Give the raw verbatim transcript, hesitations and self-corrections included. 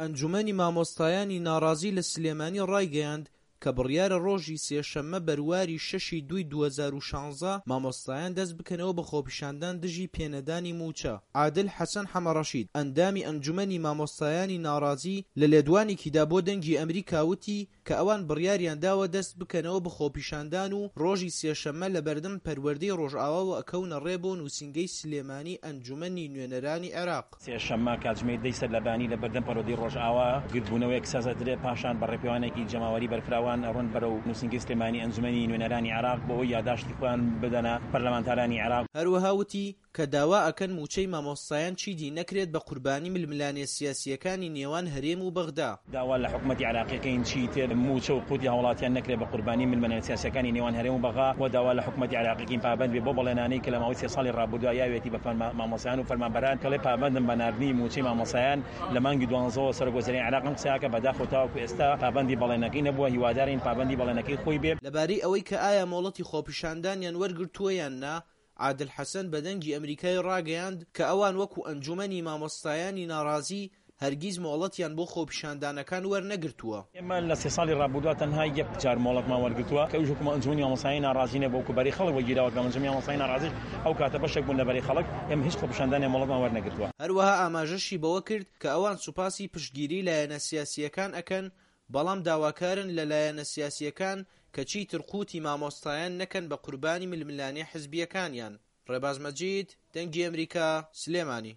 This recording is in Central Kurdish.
ئەنجومەنی مامۆستایانی ناڕازی لە سلێمانی ڕایگەیاند کە بڕیارە ڕۆژی سێشەممە بەرواری شەشی دووی دوو هەزار و شانزە مامۆستایان دەست بکەنەوە بە خۆپیشاندان دژی پێنەدانی مووچە. عادل حەسەن حەمەڕەشید، ئەندامی ئەنجومەنی مامۆستایانی ناڕازی لە لێدوانێکیدا بۆ دەنگی ئەمریکا وتی کە ئەوان بڕیاریان داوە دەست بکەنەوە بە خۆپیشاندان و ڕۆژی سێشەممە لەبەردەم پەروەردەی ڕۆژئاواوە ئەکەونە ڕێ بۆ نووسینگەی سلێمانی ئەنجومەنی نوێنەرانی عێراق. سێشەممە کاتژمێر دەی سەرلەبەیانی لە بەردەم پەروەردەی ڕۆژئاوا گردبوونەوەیەک ساز ئەدرێت، پاشان بە ڕێپێوانێکی جەماوەری بەرفراوان ئەڕۆن بەرەو نووسینگەی سلێمانی ئەنجومەنی نوێنەرانی عێراق بۆ ئەوەی یاداشتی خۆیان بدەنە پەرلەمانتارانی عێراق. هەروەها وتی کە داوا ئەکەن مووچەی مامۆستایان چیدی نەکرێت بە قوربانی ململانێ سیاسییەکانی نێوان هەرێم و بەغدا. داوا لە حکومەتی عێراقی ئەکەین چیتر مووچە و قوتی هاوڵاتیان نەکرێت بە قوربانی ململانێ سیاسییەکانی نێوان هەرێم و بەغا و داوا لە حکومەتی عێراقی ئەکەین پابەند بێت بەو بەڵێنانەی کە لە ماوەی سێ ساڵی ڕابردووە یاویەتی بە مامۆستایان و فەرمانبەران کە ڵێ پابەندن بە ناردنی مووچەی مامۆستایان لە مانگی دوانزەوە سەرۆک وەزیرانی عێراق ئەم قسەیە کە بەداخەوە تاوەکو ئێستا پابەندی بەڵێنەکەی نەبووە هیوادارین پابەندی بەڵێنەکەی خۆی بێ. لەبارەی ئەوەی کە ئایا مۆڵەتی خۆپیشاندانیان وەرگرتووە یان نا، عادل حەسەن بە دەنگی ئەمریکای ڕاگەیاند کە ئەوان وەکو ئەنجومەنی مامۆستایانی ناڕازی هەرگیز مۆڵەتیان بۆ خۆپیشاندانەکان وەرنەگرتووە. ئێمە لە سێ ساڵی ڕابردووە تەنها یەک جار مۆڵەتمان وەرگرتووە کە ئەویش وەکو ئەنجومەنی مامۆستایانی ناڕازی نەبوو وەکو بەرەی خەڵک وەرگیراوە کە ئەنجومەنی مامۆستایانی ناڕازیش ئەو کاتە بەشێک بوون لە بەرەی خەڵک ئێمە هیچ خۆپیشاندانێک مۆڵەتمان وەرنەگرتووە. هەروەها ئاماژەشی بەوە کرد کە ئەوان سوپاسی پشتگیری لایەنە سیاسییەکان ئەکەن بەڵام داواکارن لە لایەنە سیاسییەکان کە چیتر قوتی مامۆستایان نەکەن بە قوربانی ململانێ حزبییەکانیان. ڕێباز مەجید، دەنگی ئەمریکا، سلێمانی.